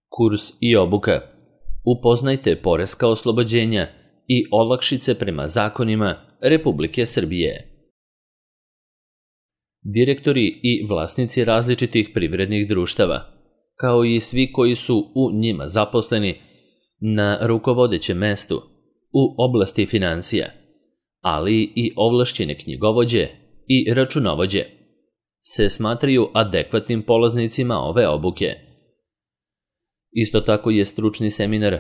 Kurs i obuka. Upoznajte poreska oslobođenja i olakšice prema zakonima Republike Srbije. Direktori i vlasnici različitih privrednih društava, kao i svi koji su u njima zaposleni na rukovodećem mestu u oblasti financija, ali i ovlašćene knjigovođe i računovođe, se smatraju adekvatnim polaznicima ove obuke. Isto tako je stručni seminar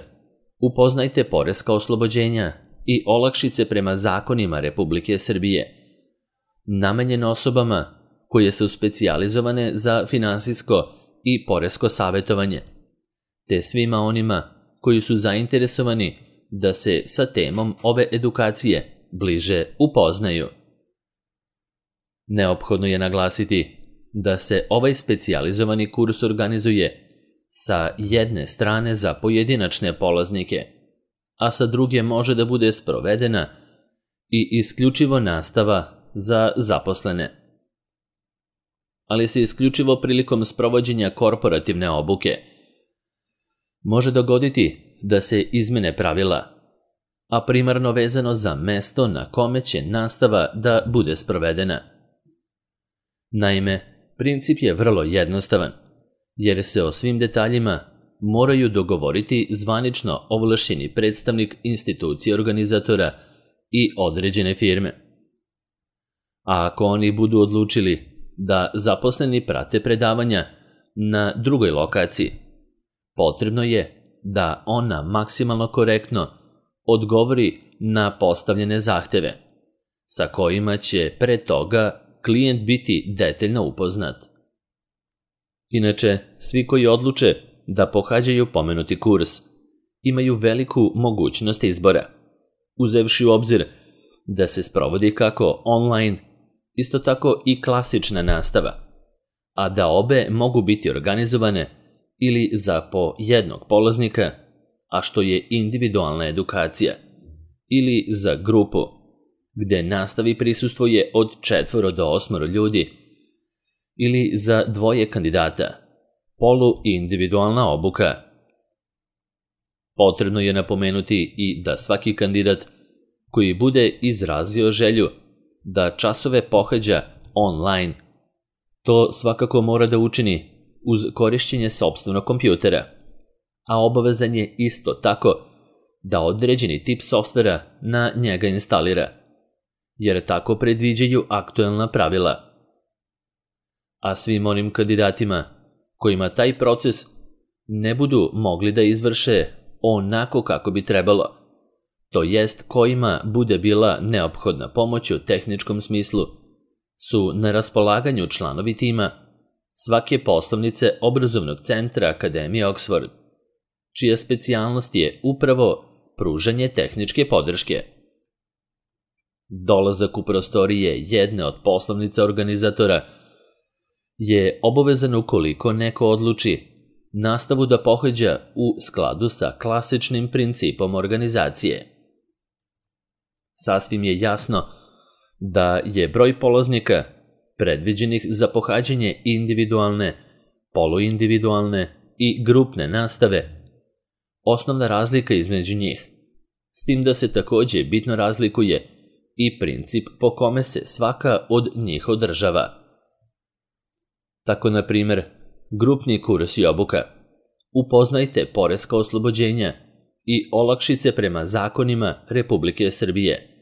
Upoznajte poreska oslobođenja i olakšice prema zakonima Republike Srbije, namenjen osobama koje su specijalizovane za finansijsko i poresko savjetovanje, te svima onima koji su zainteresovani da se sa temom ove edukacije bliže upoznaju. Neophodno je naglasiti da se ovaj specijalizovani kurs organizuje sa jedne strane za pojedinačne polaznike, a sa druge može da bude sprovedena i isključivo nastava za zaposlene. Ali se isključivo prilikom sprovođenja korporativne obuke može dogoditi da se izmene pravila, a primarno vezano za mesto na kome će nastava da bude sprovedena. Naime, princip je vrlo jednostavan, jer se o svim detaljima moraju dogovoriti zvanično ovlašćeni predstavnik institucije organizatora i određene firme. A ako oni budu odlučili da zaposleni prate predavanja na drugoj lokaciji, potrebno je da ona maksimalno korektno odgovori na postavljene zahteve, sa kojima će pre toga klijent biti detaljno upoznat. Inače, svi koji odluče da pohađaju pomenuti kurs imaju veliku mogućnost izbora, uzevši u obzir da se sprovodi kako online, isto tako i klasična nastava, a da obe mogu biti organizovane ili za po jednog polaznika, a što je individualna edukacija, ili za grupu, gde nastavi prisustvuje od 4 do 8 ljudi, ili za 2 kandidata, polu-individualna obuka. Potrebno je napomenuti i da svaki kandidat koji bude izrazio želju da časove pohađa online, to svakako mora da učini uz korišćenje sopstvenog kompjutera, a obavezan je isto tako da određeni tip softvera na njega instalira, jer tako predviđaju aktuelna pravila. A svim onim kandidatima kojima taj proces ne budu mogli da izvrše onako kako bi trebalo, to jest kojima bude bila neophodna pomoć u tehničkom smislu, su na raspolaganju članovi tima svake poslovnice obrazovnog centra Akademije Oxford, čija specijalnost je upravo pružanje tehničke podrške. Dolazak u prostorije jedne od poslovnica organizatora je obavezan ukoliko neko odluči nastavu da pohađa u skladu sa klasičnim principom organizacije. Sasvim je jasno da je broj polaznika predviđenih za pohađanje individualne, poluindividualne i grupne nastave osnovna razlika između njih, s tim da se takođe bitno razlikuje i princip po kome se svaka od njih održava. Tako, na primer, grupni kurs i obuka Upoznajte poreska oslobođenja i olakšice prema zakonima Republike Srbije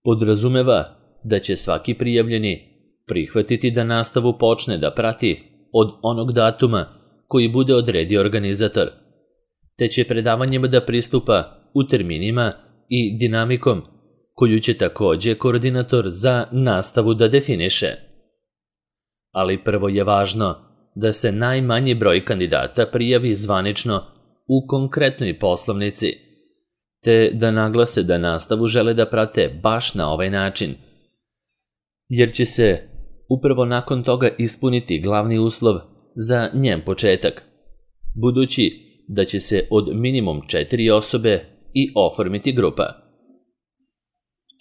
podrazumeva da će svaki prijavljeni prihvatiti da nastavu počne da prati od onog datuma koji bude odredio organizator, te će predavanjima da pristupa u terminima i dinamikom koju će takođe koordinator za nastavu da definiše. Ali prvo je važno da se najmanji broj kandidata prijavi zvanično u konkretnoj poslovnici, te da naglase da nastavu žele da prate baš na ovaj način, jer će se upravo nakon toga ispuniti glavni uslov za njen početak, budući da će se od minimum 4 osobe i oformiti grupa.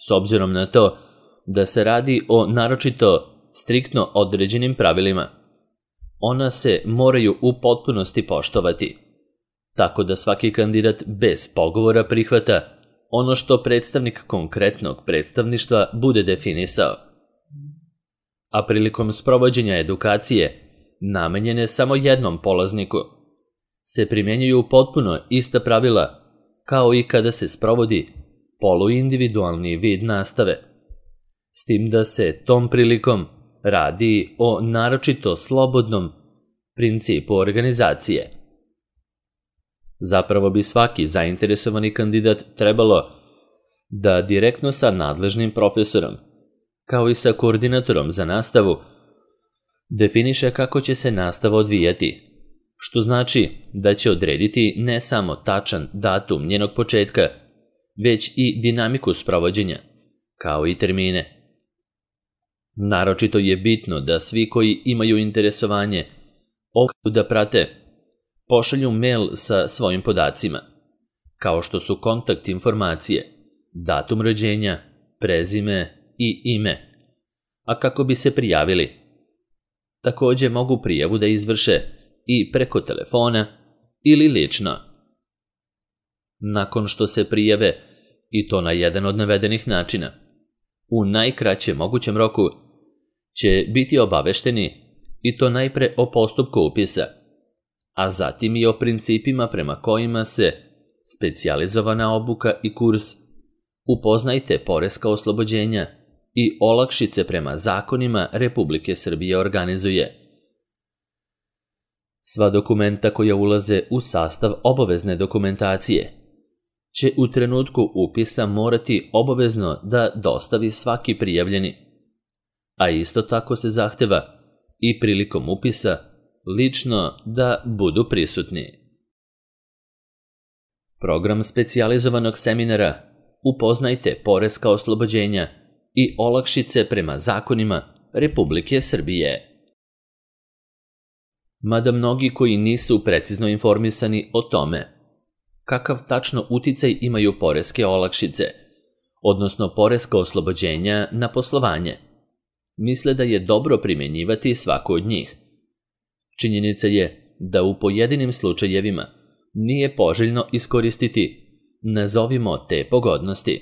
S obzirom na to da se radi o naročito striktno određenim pravilima, ona se moraju u potpunosti poštovati, tako da svaki kandidat bez pogovora prihvata ono što predstavnik konkretnog predstavništva bude definisao. A prilikom sprovođenja edukacije, namenjene samo jednom polazniku, se primjenjuju potpuno ista pravila kao i kada se sprovodi poluindividualni vid nastave, s tim da se tom prilikom radi o naročito slobodnom principu organizacije. Zapravo bi svaki zainteresovani kandidat trebalo da direktno sa nadležnim profesorom, kao i sa koordinatorom za nastavu, definiše kako će se nastava odvijati, što znači da će odrediti ne samo tačan datum njenog početka, već i dinamiku sprovođenja, kao i termine. Naročito je bitno da svi koji imaju interesovanje da prate pošalju mail sa svojim podacima, kao što su kontakt informacije, datum rođenja, prezime i ime, a kako bi se prijavili. Također mogu prijavu da izvrše i preko telefona ili lično. Nakon što se prijave, i to na jedan od navedenih načina, u najkraćem mogućem roku će biti obavešteni i to najpre o postupku upisa, a zatim i o principima prema kojima se specijalizovana obuka i kurs Upoznajte poreska oslobođenja i olakšice prema zakonima Republike Srbije organizuje. Sva dokumenta koja ulaze u sastav obavezne dokumentacije će u trenutku upisa morati obavezno da dostavi svaki prijavljeni, a isto tako se zahteva i prilikom upisa lično da budu prisutni. Program specijalizovanog seminara Upoznajte poreska oslobođenja i olakšice prema zakonima Republike Srbije. Mada mnogi koji nisu precizno informisani o tome kakav tačno uticaj imaju poreske olakšice, odnosno poreska oslobođenja na poslovanje, misle da je dobro primjenjivati svaku od njih. Činjenica je da u pojedinim slučajevima nije poželjno iskoristiti, nazovimo te pogodnosti.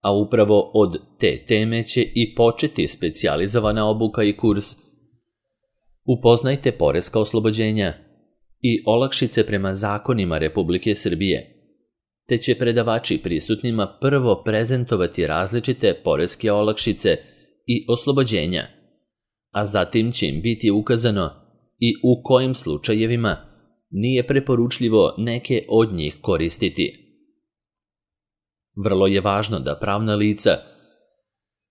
A upravo od te teme će i početi specijalizovana obuka i kurs Upoznajte poreska oslobođenja i olakšice prema zakonima Republike Srbije, te će predavači prisutnima prvo prezentovati različite poreske olakšice i oslobođenja, a zatim će im biti ukazano i u kojim slučajevima nije preporučljivo neke od njih koristiti. Vrlo je važno da pravna lica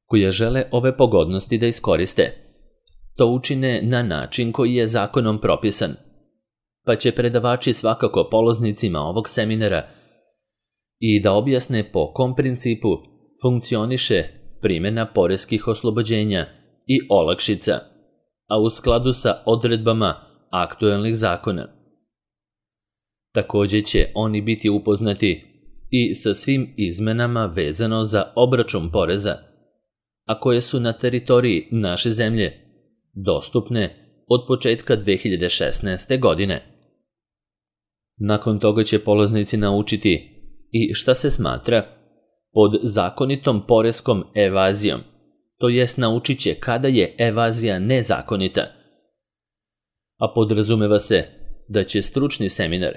koja žele ove pogodnosti da iskoriste to učine na način koji je zakonom propisan, pa će predavači svakako polaznicima ovog seminara i da objasne po kom principu funkcioniše primjena poreskih oslobođenja i olakšica, a u skladu sa odredbama aktuelnih zakona. Također će oni biti upoznati i sa svim izmenama vezano za obračun poreza, a koje su na teritoriji naše zemlje dostupne od početka 2016. godine. Nakon toga će polaznici naučiti i šta se smatra pod zakonitom poreskom evazijom, to jest naučit će kada je evazija nezakonita. A podrazumeva se da će stručni seminar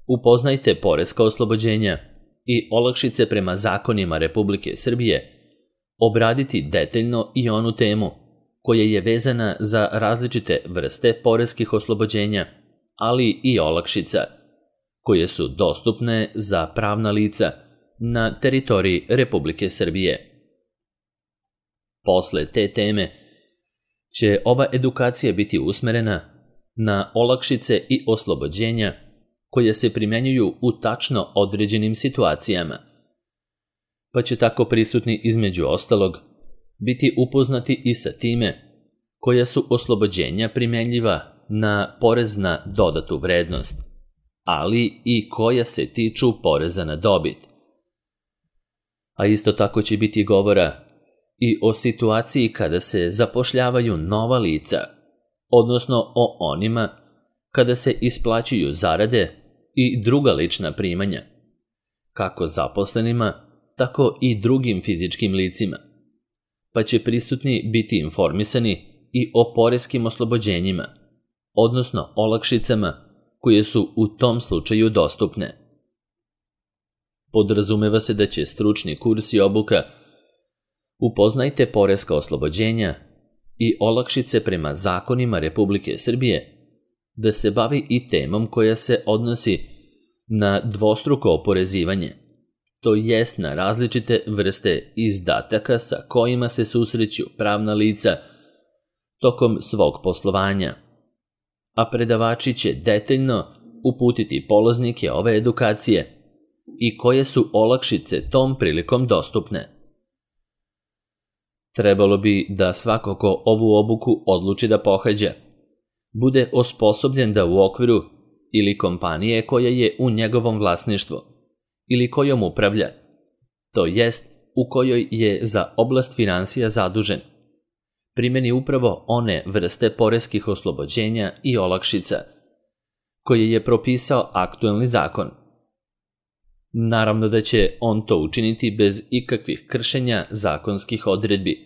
Upoznajte poreska oslobođenja i olakšice prema zakonima Republike Srbije obraditi detaljno i onu temu koja je vezana za različite vrste poreskih oslobođenja, ali i olakšica, koje su dostupne za pravna lica na teritoriji Republike Srbije. Posle te teme će ova edukacija biti usmerena na olakšice i oslobođenja koje se primjenjuju u tačno određenim situacijama, pa će tako prisutni između ostalog biti upoznati i sa time koja su oslobođenja primjenjiva na porez na dodatu vrednost, ali i koja se tiču poreza na dobit. A isto tako će biti govora i o situaciji kada se zapošljavaju nova lica, odnosno o onima kada se isplaćuju zarade i druga lična primanja, kako zaposlenima, tako i drugim fizičkim licima, pa će prisutni biti informisani i o poreskim oslobođenjima, odnosno olakšicama koje su u tom slučaju dostupne. Podrazumeva se da će stručni kurs i obuka Upoznajte poreska oslobođenja i olakšice prema zakonima Republike Srbije da se bavi i temom koja se odnosi na dvostruko oporezivanje, to jest na različite vrste izdataka sa kojima se susreću pravna lica tokom svog poslovanja, a predavači će detaljno uputiti polaznike ove edukacije i koje su olakšice tom prilikom dostupne. Trebalo bi da svako ko ovu obuku odluči da pohađa, bude osposobljen da u okviru ili kompanije koja je u njegovom vlasništvu ili kojom upravlja, to jest u kojoj je za oblast finansija zadužen, primeni upravo one vrste poreskih oslobođenja i olakšica koje je propisao aktuelni zakon. Naravno da će on to učiniti bez ikakvih kršenja zakonskih odredbi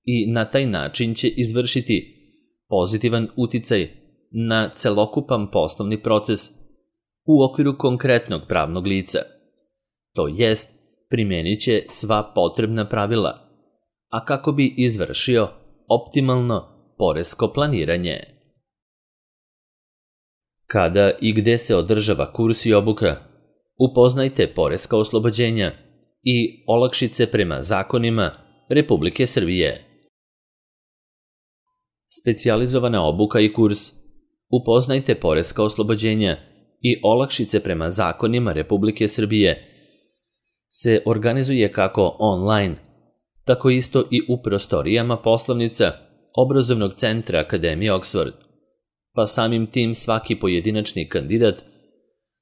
i na taj način će izvršiti pozitivan uticaj na celokupan poslovni proces u okviru konkretnog pravnog lica, to jest primenit će sva potrebna pravila, a kako bi izvršio optimalno poresko planiranje. Kada i gde se održava kurs i obuka, upoznajte poreska oslobođenja i olakšice prema zakonima Republike Srbije. Specijalizovana obuka i kurs Upoznajte poreska oslobođenja i olakšice prema zakonima Republike Srbije se organizuje kako online, tako isto i u prostorijama poslovnica Obrazovnog centra Akademije Oxford, pa samim tim svaki pojedinačni kandidat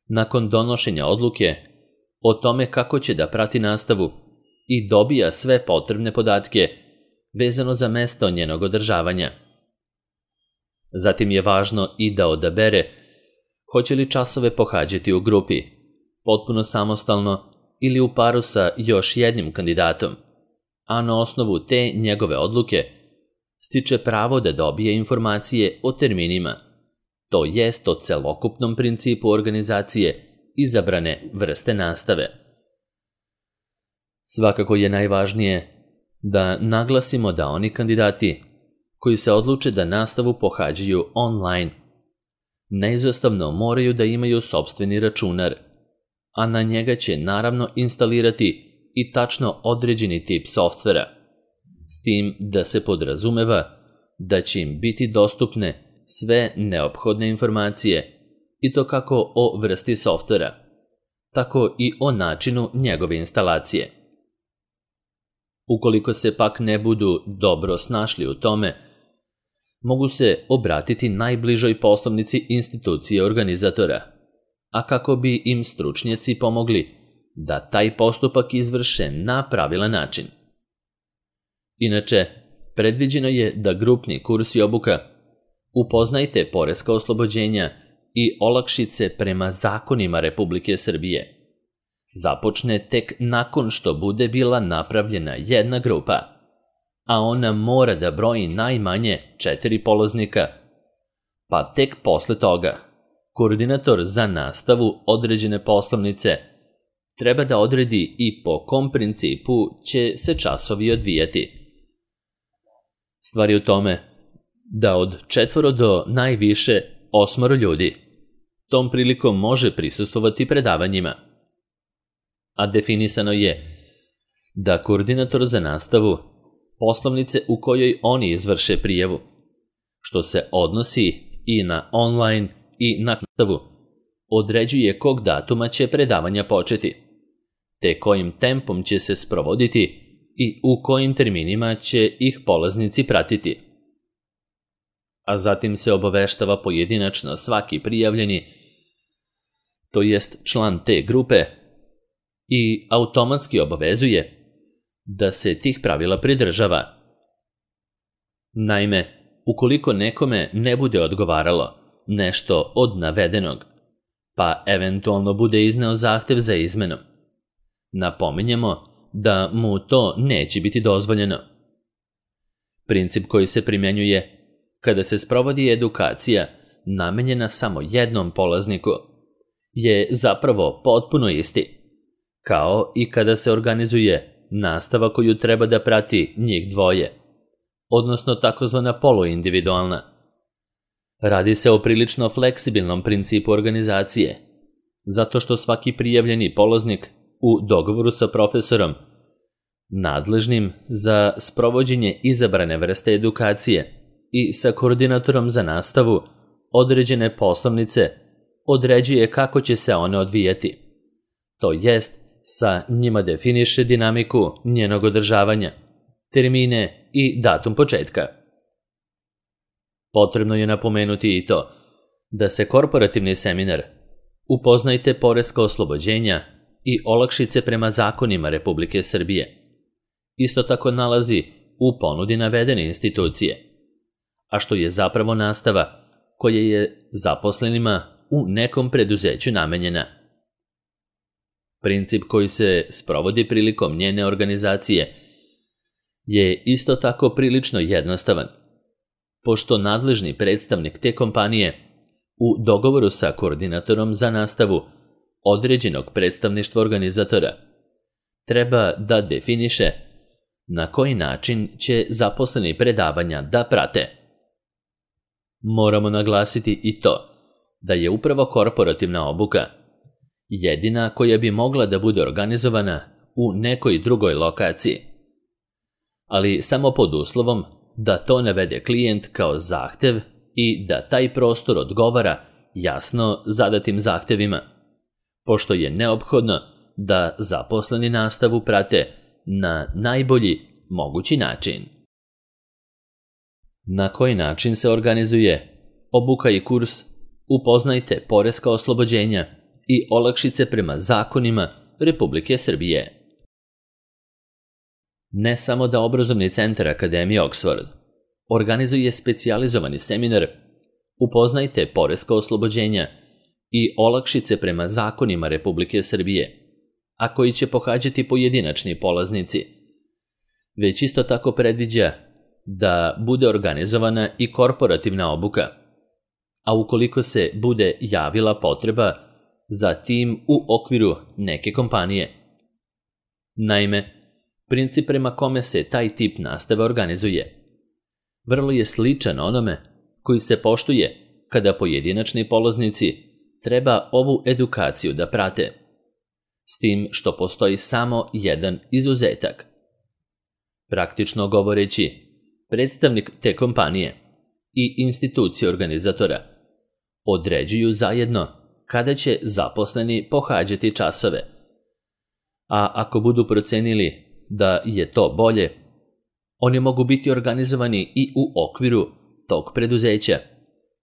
nakon donošenja odluke o tome kako će da prati nastavu i dobija sve potrebne podatke vezano za mesto njenog održavanja. Zatim je važno i da odabere hoće li časove pohađati u grupi, potpuno samostalno ili u paru sa još jednim kandidatom, a na osnovu te njegove odluke stiče pravo da dobije informacije o terminima, to jest o celokupnom principu organizacije izabrane vrste nastave. Svakako je najvažnije da naglasimo da oni kandidati koji se odluče da nastavu pohađaju online neizostavno moraju da imaju sopstveni računar, a na njega će naravno instalirati i tačno određeni tip softvera, s tim da se podrazumeva da će im biti dostupne sve neophodne informacije i to kako o vrsti softvera, tako i o načinu njegove instalacije. Ukoliko se pak ne budu dobro snašli u tome, mogu se obratiti najbližoj poslovnici institucije organizatora, a kako bi im stručnjaci pomogli da taj postupak izvrše na pravilan način. Inače, predviđeno je da grupni kurs i obuka Upoznajte poreska oslobođenja i olakšice prema zakonima Republike Srbije započne tek nakon što bude bila napravljena jedna grupa, a ona mora da broji najmanje 4 polaznika, pa tek posle toga koordinator za nastavu određene poslovnice treba da odredi i po kom principu će se časovi odvijati. Stvar je u tome da od 4 do najviše 8 ljudi tom prilikom može prisustvovati predavanjima, a definisano je da koordinator za nastavu poslovnice u kojoj oni izvrše prijavu, što se odnosi i na online i na nastavu, određuje kog datuma će predavanja početi, te kojim tempom će se sprovoditi i u kojim terminima će ih polaznici pratiti. A zatim se obaveštava pojedinačno svaki prijavljeni, to jest član te grupe, i automatski obavezuje da se tih pravila pridržava. Naime, ukoliko nekome ne bude odgovaralo nešto od navedenog, pa eventualno bude izneo zahtev za izmenom. Napominjemo da mu to neće biti dozvoljeno. Princip koji se primjenjuje kada se sprovodi edukacija namenjena samo jednom polazniku je zapravo potpuno isti, kao i kada se organizuje nastava koju treba da prati njih dvoje, odnosno takozvana poluindividualna. Radi se o prilično fleksibilnom principu organizacije, zato što svaki prijavljeni polaznik u dogovoru sa profesorom, nadležnim za sprovođenje izabrane vrste edukacije i sa koordinatorom za nastavu određene poslovnice, određuje kako će se one odvijati. To jest, sa njima definiše dinamiku njenog održavanja, termine i datum početka. Potrebno je napomenuti i to da se korporativni seminar Upoznajte poreska oslobođenja i olakšice prema zakonima Republike Srbije isto tako nalazi u ponudi navedene institucije, a što je zapravo nastava koja je zaposlenima u nekom preduzeću namenjena. Princip koji se sprovodi prilikom njene organizacije je isto tako prilično jednostavan, pošto nadležni predstavnik te kompanije u dogovoru sa koordinatorom za nastavu određenog predstavništva organizatora treba da definiše na koji način će zaposleni predavanja da prate. Moramo naglasiti i to da je upravo korporativna obuka jedina koja bi mogla da bude organizovana u nekoj drugoj lokaciji, ali samo pod uslovom da to navede klijent kao zahtev i da taj prostor odgovara jasno zadatim zahtevima, pošto je neophodno da zaposleni nastavu prate na najbolji mogući način. Na koji način se organizuje obuka i kurs Upoznajte poreska oslobođenja i olakšice prema zakonima Republike Srbije? Ne samo da obrazovni centar Akademije Oxford organizuje specijalizovani seminar Upoznajte poreska oslobođenja i olakšice prema zakonima Republike Srbije, a koji će pohađati pojedinačni polaznici, već isto tako predviđa da bude organizovana i korporativna obuka, a ukoliko se bude javila potreba za tim u okviru neke kompanije. Naime, princip prema kome se taj tip nastave organizuje vrlo je sličan onome koji se poštuje kada pojedinačni polaznici treba ovu edukaciju da prate, s tim što postoji samo jedan izuzetak. Praktično govoreći, predstavnik te kompanije i institucije organizatora određuju zajedno kada će zaposleni pohađati časove, a ako budu procenili da je to bolje, oni mogu biti organizovani i u okviru tog preduzeća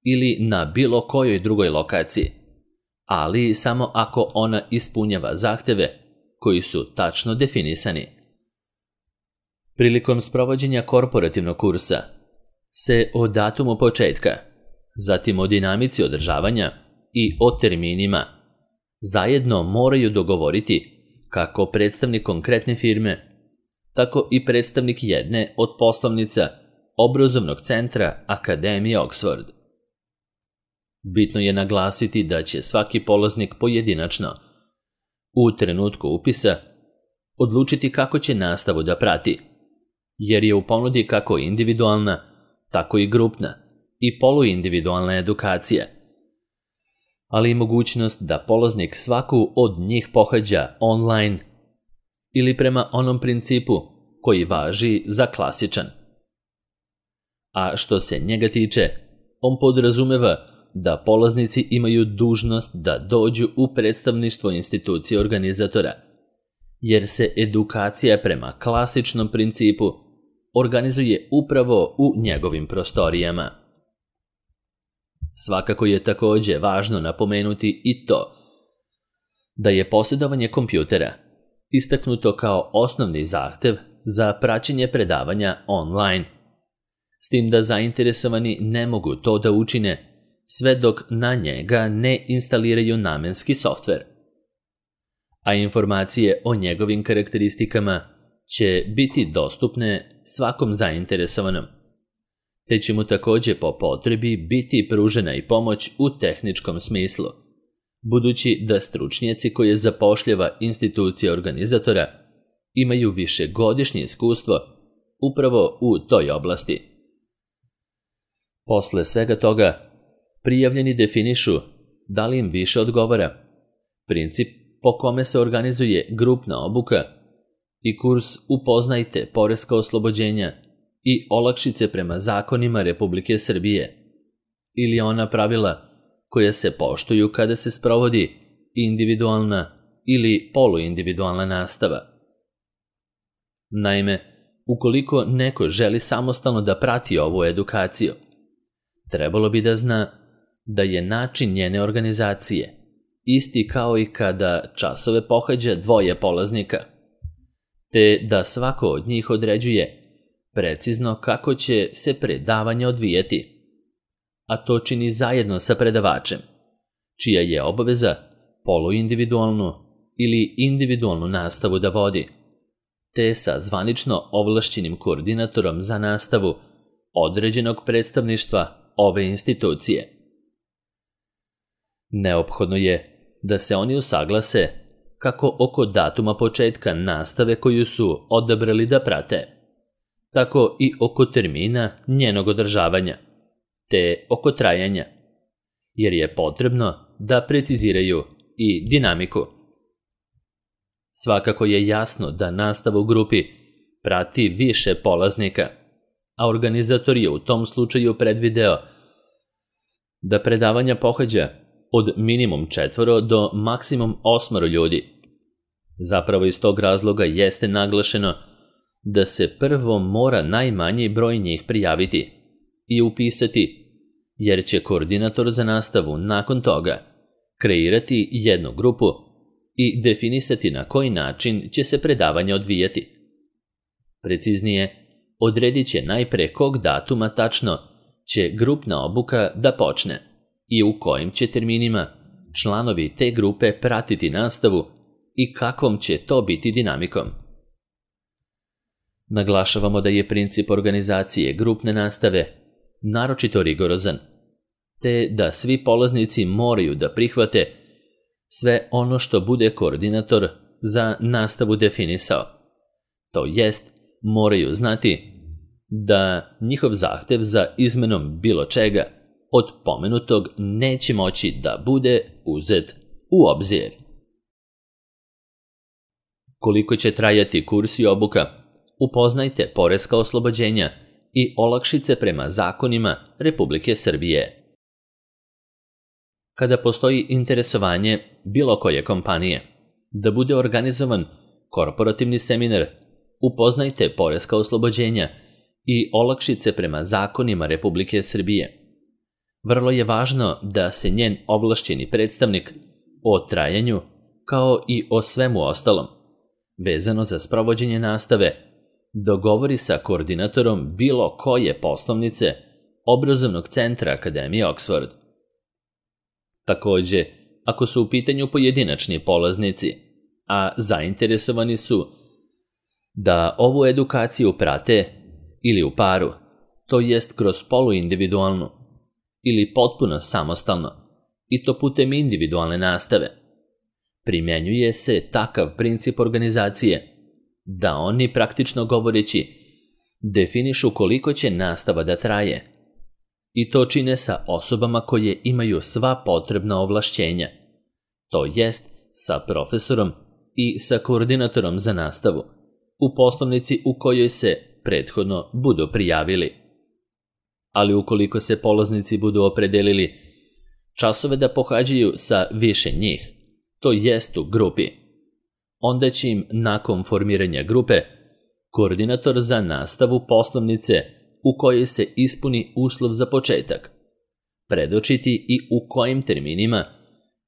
ili na bilo kojoj drugoj lokaciji, ali samo ako ona ispunjava zahteve koji su tačno definisani. Prilikom sprovođenja korporativnog kursa se o datumu početka, zatim o dinamici održavanja i o terminima zajedno moraju dogovoriti kako predstavnik konkretne firme, tako i predstavnik jedne od poslovnica obrazovnog centra Akademije Oxford. Bitno je naglasiti da će svaki polaznik pojedinačno, u trenutku upisa, odlučiti kako će nastavu da prati, jer je u ponudi kako individualna, tako i grupna i poluindividualna edukacija, ali i mogućnost da polaznik svaku od njih pohađa online ili prema onom principu koji važi za klasičan. A što se njega tiče, on podrazumeva da polaznici imaju dužnost da dođu u predstavništvo institucije organizatora, jer se edukacija prema klasičnom principu organizuje upravo u njegovim prostorijama. Svakako je takođe važno napomenuti i to da je posjedovanje kompjutera istaknuto kao osnovni zahtev za praćenje predavanja online, s tim da zainteresovani ne mogu to da učine sve dok na njega ne instaliraju namenski softver. A informacije o njegovim karakteristikama će biti dostupne svakom zainteresovanom, te će mu također po potrebi biti pružena i pomoć u tehničkom smislu, budući da stručnjaci koje zapošljava institucija organizatora imaju višegodišnje iskustvo upravo u toj oblasti. Posle svega toga, prijavljeni definišu da li im više odgovara princip po kome se organizuje grupna obuka i kurs Upoznajte poreska oslobođenja i olakšice prema zakonima Republike Srbije, ili ona pravila koja se poštuju kada se sprovodi individualna ili poluindividualna nastava. Naime, ukoliko neko želi samostalno da prati ovu edukaciju, trebalo bi da zna da je način njene organizacije isti kao i kada časove pohađa dvoje polaznika, te da svako od njih određuje precizno kako će se predavanje odvijeti, a to čini zajedno sa predavačem, čija je obaveza poluindividualnu ili individualnu nastavu da vodi, te sa zvanično ovlašćenim koordinatorom za nastavu određenog predstavništva ove institucije. Neophodno je da se oni usaglase kako oko datuma početka nastave koju su odabrali da prate, tako i oko termina njenog održavanja, te oko trajanja, jer je potrebno da preciziraju i dinamiku. Svakako je jasno da nastava u grupi prati više polaznika, a organizator je u tom slučaju predvideo da predavanja pohađa od minimum 4 do maksimum 8 ljudi. Zapravo iz tog razloga jeste naglašeno da se prvo mora najmanji broj njih prijaviti i upisati, jer će koordinator za nastavu nakon toga kreirati jednu grupu i definisati na koji način će se predavanje odvijati. Preciznije, odredit će najpre kog datuma tačno će grupna obuka da počne i u kojim će terminima članovi te grupe pratiti nastavu i kakvom će to biti dinamikom. Naglašavamo da je princip organizacije grupne nastave naročito rigorozan, te da svi polaznici moraju da prihvate sve ono što bude koordinator za nastavu definisao. To jest, moraju znati da njihov zahtev za izmenom bilo čega od pomenutog neće moći da bude uzet u obzir. Koliko će trajati kurs i obuka, upoznajte poreska oslobođenja i olakšice prema zakonima Republike Srbije. Kada postoji interesovanje bilo koje kompanije da bude organizovan korporativni seminar Upoznajte poreska oslobođenja i olakšice prema zakonima Republike Srbije, vrlo je važno da se njen ovlašćeni predstavnik o trajanju, kao i o svemu ostalom, vezano za sprovođenje nastave, dogovori sa koordinatorom bilo koje poslovnice obrazovnog centra Akademije Oxford. Također, ako su u pitanju pojedinačni polaznici, a zainteresovani su da ovu edukaciju prate ili u paru, to jest kroz poluindividualnu ili potpuno samostalno, i to putem individualne nastave, primjenjuje se takav princip organizacije da oni, praktično govoreći, definišu koliko će nastava da traje, i to čine sa osobama koje imaju sva potrebna ovlašćenja, to jest sa profesorom i sa koordinatorom za nastavu, u poslovnici u kojoj se prethodno budu prijavili. Ali ukoliko se polaznici budu opredelili časove da pohađaju sa više njih, to jest u grupi, onda će im nakon formiranja grupe koordinator za nastavu poslovnice u kojoj se ispuni uslov za početak predočiti i u kojim terminima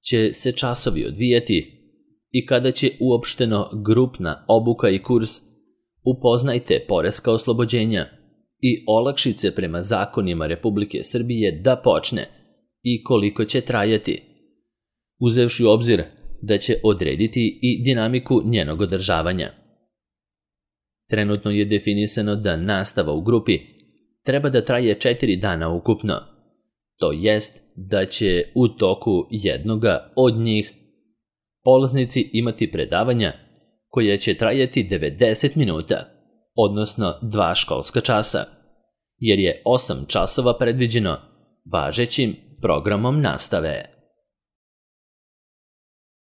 će se časovi odvijati i kada će uopšteno grupna obuka i kurs Upoznajte poreska oslobođenja i olakšice prema zakonima Republike Srbije da počne i koliko će trajati, uzevši u obzir da će odrediti i dinamiku njenog održavanja. Trenutno je definisano da nastava u grupi treba da traje 4 dana ukupno, to jest da će u toku jednoga od njih polaznici imati predavanja koja će trajati 90 minuta, odnosno 2 školska časa, jer je 8 časova predviđeno važećim programom nastave.